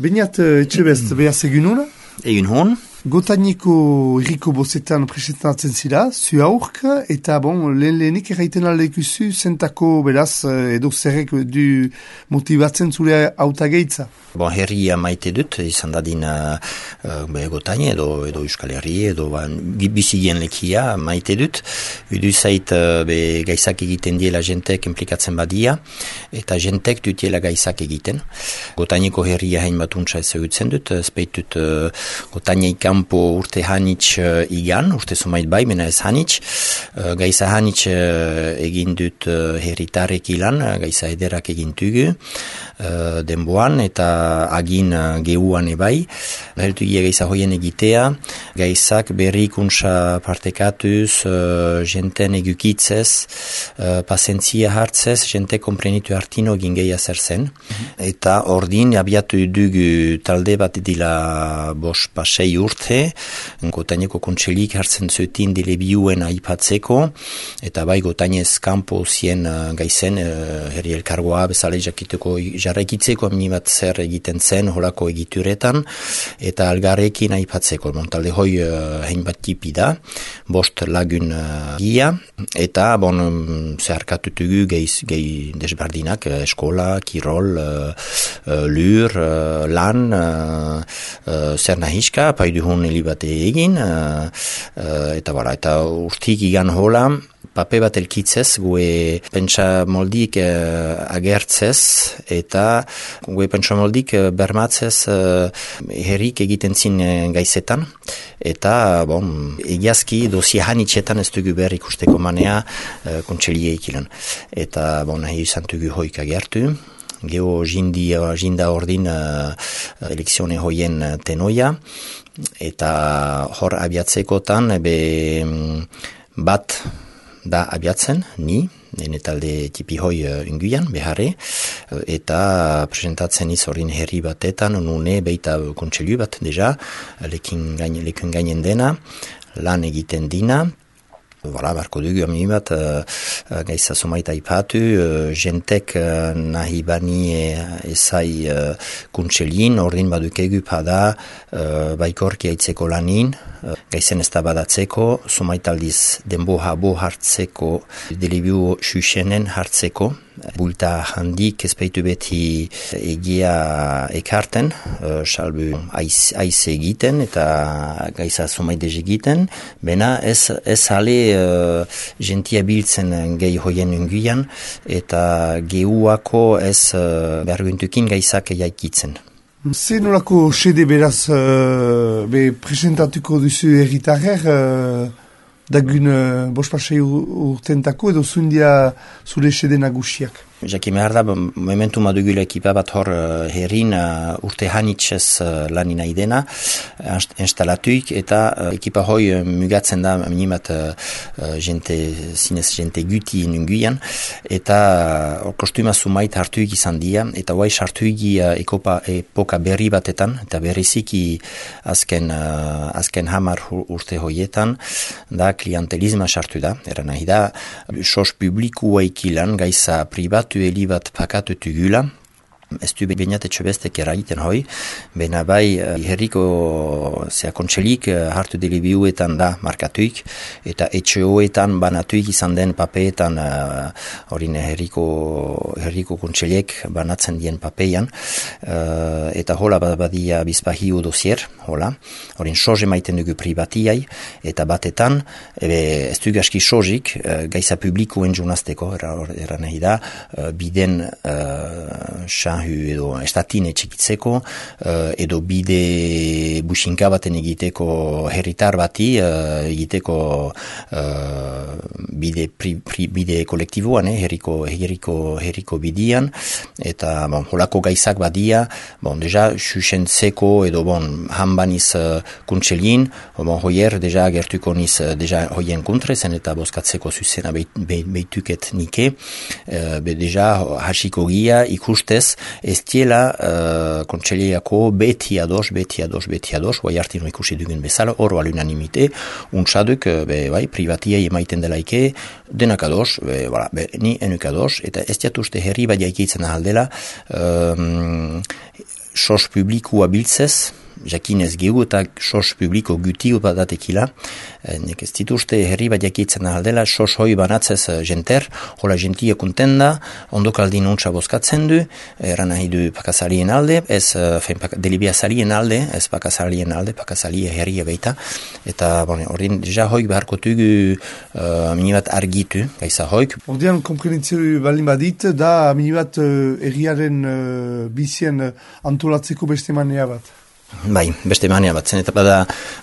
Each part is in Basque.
Beñat etxebest behaz egin hona? Egin hon. Gotaineko irriko bozetan presentatzen zira, zu aurk, eta lehenik erraiten aldekuzu zentako beraz edo zerrek du motibatzen zure hautageitza. Herria maite dut, izan dadin Gotain edo Euskal Herri, edo bizigien lekia maite dut. Udu zait gaizak egiten diela jentek implikatzen badia, eta jentek dutiela gaizak egiten. Gotaineko herria hain batuntza ezagutzen dut, speitut Gotainek kanpo urte hanitz igan, urte sumait bai, mena ez hanitz. Gaiza hanitz egin dut herritarek ilan, gaiza ederak egin tugu denboan, eta agin gehuan ebai. Heltu gaiza hoien egitea, gaizak berrikuntza partekatuz, jenten egukitzez, pasentzia hartzez, jente komprenitu hartino egin gehi zer zen. Eta ordin abiatu dugu talde bat dila bos pasei urte, Gotaineko kontselik hartzen zuetin dile biuen aipatzeko, eta bai Gotainez kanpo zien gaizen, herri elkargoa bezala jarraikitzeko aminibat zer egiten zen holako egituretan, eta algarrekin aipatzeko. Talde hoi hein bat tipi da, bost lagun gia, eta zeharkatutugu gehi desbardinak, eskola, kirol, lur, lan, zer nahiska, paiduhun helibate egin, eta urtik igan hola, pape bat elkitzez, gue pentsa moldik agertzez, eta gue pentsa moldik bermatzez herrik egiten zin gaizetan, eta egiazki dosia hanitxetan ez dugu behar ikusteko manea kontselie ikilan. Eta nahi izan dugu hoik agertu, geho jinda ordin elekzione hoien tenoia, eta hor abiatzekotan bat da abiatzen, nene talde tipi hoi inguian, beharre, eta presentatzen izorin herri batetan, nune beita kontseilu bat deja, lekun gainen dena, lan egiten dina. Barko dugu aminibat gaiza somaita ipatu, jentek nahi bani ezai kuntselin, ordin badukegu pada baikorki aitzeko lanin, gaizen ez da badatzeko, somaitaldiz denbo habo hartzeko, delibiu susenen hartzeko, bulta handik ezpeitu beti egia ekarten, salbu aiz egiten eta gaiza somaidez egiten, bena ez hale jentia biltzen gehi hoien unguian, eta gehuako ez berguntukin gaizak jaikitzen. Zer nolako sede beraz presentatuko duzu erritarrer dagun bospasei urtentako edo zundia zure sede nagusiak? Jakin behar da, momentu madugula ekipa bat hor herrin urte hanitzez lanin aidena, instalatuik, eta ekipa hoi mugatzen da minimat jente guti nunguian, eta kostuma sumait hartuik izan dia, eta guai sartuik epoka berri batetan, eta berriziki azken hamar urte hoietan, da klientelizma sartu da, eran nahi da, sos publikua ikilan, gaiza pribatu bat pakatutu gula, ez du beñat etxebestek eragiten hoi, bena bai herriko kontselik hartu delibiuetan da markatuik, eta etxeoetan banatuik izan den papeetan horin herriko kontseliek banatzen dien papeian, eta hola badia bizpahiu dosier, hola, horin soje maiten dugu privatiai, eta batetan, ez du gaski sojik, gaiza publikoen junazteko, era nahi da, biden edo estatine txekitzeko, edo bide businka baten egiteko herritar bati, egiteko bide kolektiboan, herriko bidian, eta holako gaizak badia, deja susentzeko edo hanbaniz kuntselin, hoier deja gertuko niz deja hoien kontrezen eta bozkatzeko zuzena beituket nike, deja hasiko gia ikustez, ez diela kontseliako beti ados, guai hartino ikusi dugun bezala, oro alunanimite, untsaduk, privatia emaiten delaike, denak ados, ni enuk ados, eta ez diatuzte herri bat jaikitzen ahaldela, sos publikua biltzez, jakinez gehu eta sos publiko gutio bat datekila, nek ez dituzte herri bat jakitzen aldela, sos hoi banatzez jenter, hola jentia kontenda, ondokaldin untsa bozkatzen du, eran nahi du pakazalien alde, ez delibiazalien alde, ez pakazalien alde, pakazalia herria baita, eta horren ja hoik beharko tugu minibat argitu, gaisa hoik. Ordean, komprenitzeu balin badit, da minibat herriaren bizien antolatzeko beste manea bat. Bai, beste manea bat zen, eta bada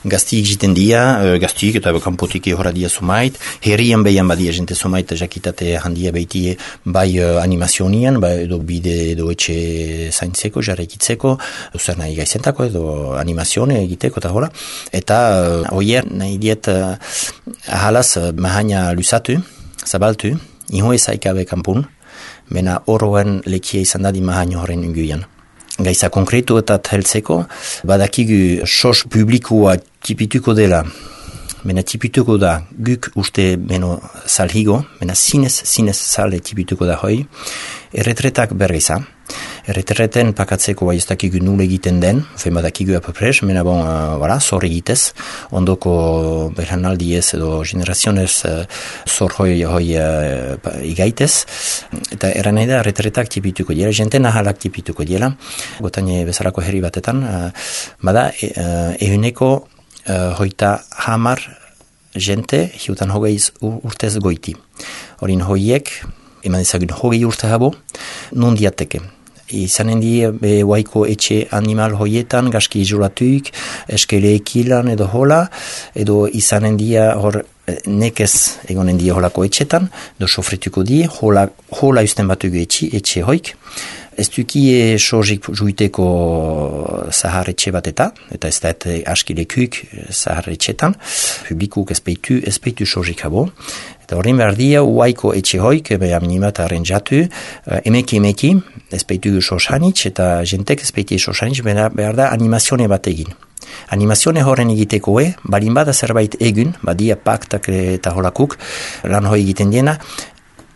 gaztiik jiten dia, gaztiik eta kanpotik horra dia sumait, herrian behian badia jente sumait jakitate handia behitie bai animazionian, bai edo bide edo etxe zaintzeko, jarrekitzeko, zer nahi gaizentako edo animazione egiteko eta hola, eta oier nahi diet ahalaz mahaina lusatu, zabaltu, iho ezaikabe kanpun, mena oroen lekia izan dadi mahaino horren inguian. Gaisa konkretu eta heltzeko, badakigu sos publikoa tipituko dela, mena tipituko da guk uste beno salhigo, mena zinez sale tipituko da hoi, erretretak bergeza. Erretreten pakatzeko bai ez dakigu nule egiten den, fen badakigu apapres, mena bon, zor egitez, ondoko berhanaldi ez edo generazionez zor hoi igaitez, eta eran nahi da erretretak tipituko dira, jente nahalak tipituko dira, gotane bezalako herri batetan, bada ehuneko hoita hamar jente, hiutan hogeiz urtez goiti. Horin hoiek, eman ezagun hogei urte habo, non diateke. Izanen di waiko etxe animal hoietan, gaski izolatuik, eskele ekilan edo hola, edo izanen dia hor nekez egonen dia holako etxetan, do sofrituko di, hola usten batugu etxe hoik. Ez duki sozik juiteko zahar etxe bat eta ez da askilekuk zahar etxetan, publikuk ezpeitu sozik habo. Eta horren behar dia, uaiko etxe hoik, beha minimat arrenjatu, emeki, ezpeitu sosanitz, eta jentek ezpeitu sosanitz, behar da animazione bat egin. Animazione horren egiteko balin bada zerbait egun, badia paktak eta holakuk, lan hoi egiten diena,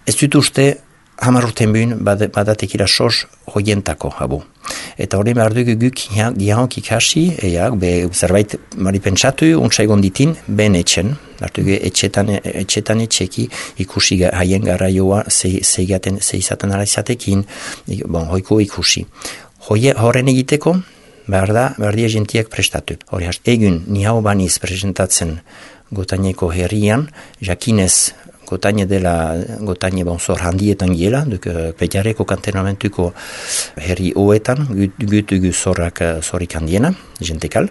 ez dut uste, hamar urten buen badatekira sos hoientako habu. Eta hori behar dugu guk gihonk ikasi, zerbait mari pentsatu, untsa egon ditin, ben etxen. Lartugu etxetan etxeki ikusi haien garraioa zeizaten ala izatekin, hoiko ikusi. Horren egiteko, behar dia jentiak prestatu. Hori egun ni hau baniz presentatzen Gotaineko herrian, jakinez Gotaine dela, Gotaine zor handietan giela, Petiareko kantonamentuko herri hoetan, gutugu zorrik handiena, jentekal.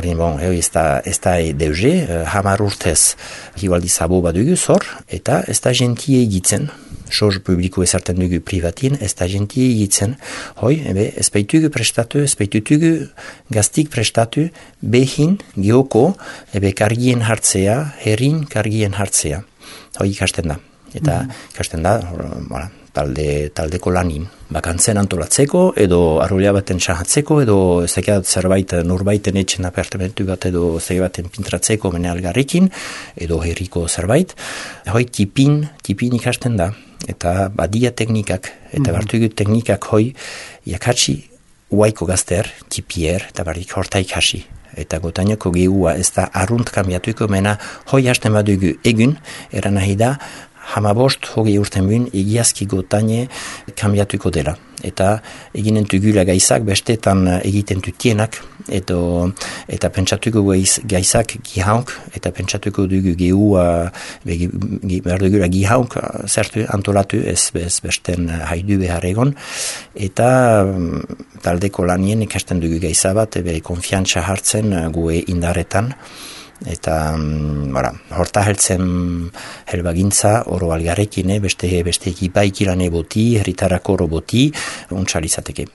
Ez da deuze, hamar urtez hibaldi zabo badugu zor, eta ez da jentie egitzen, sos publiko ezarten dugu privatien, ez da jentie egitzen, ez baitugu prestatu, ez baitugu gaztik prestatu, behin, geoko, kargien hartzea, herrin kargien hartzea. Hoi ikasten da. Eta ikasten da, taldeko lanin. Bakantzen antolatzeko, edo arrolia baten sahatzeko, edo zerbait nurbaiten etxen apartamentu bat, edo zerbait baten pintratzeko mene algarrikin, edo herriko zerbait. Hoi tipin ikasten da. Eta badia teknikak, eta bartugu teknikak hoi, jakatsi uaiko gazter, tipier, eta barrik horta ikasi. Eta Gotaineko gehua ez da arrunt kambiatuko, mena hoi hasten badugu egun, eran nahi da, 15 urten buen egiazki Gotaine kambiatuko dela. Eta eginen tugula gaizak, bestetan egiten tutienak, eta pentsatuko gaizak gihaunk, eta pentsatuko dugu gehua, behar dugula gihaunk, zertu antolatu, ez besten haidu behar egon, eta taldeko lanien ikasten dugu gaizabat, bere konfiantza hartzen gue indaretan, eta horta heltzen helbagintza oro algarrekin, beste ekipaik irane boti, herritarako oro boti, untsalizateke.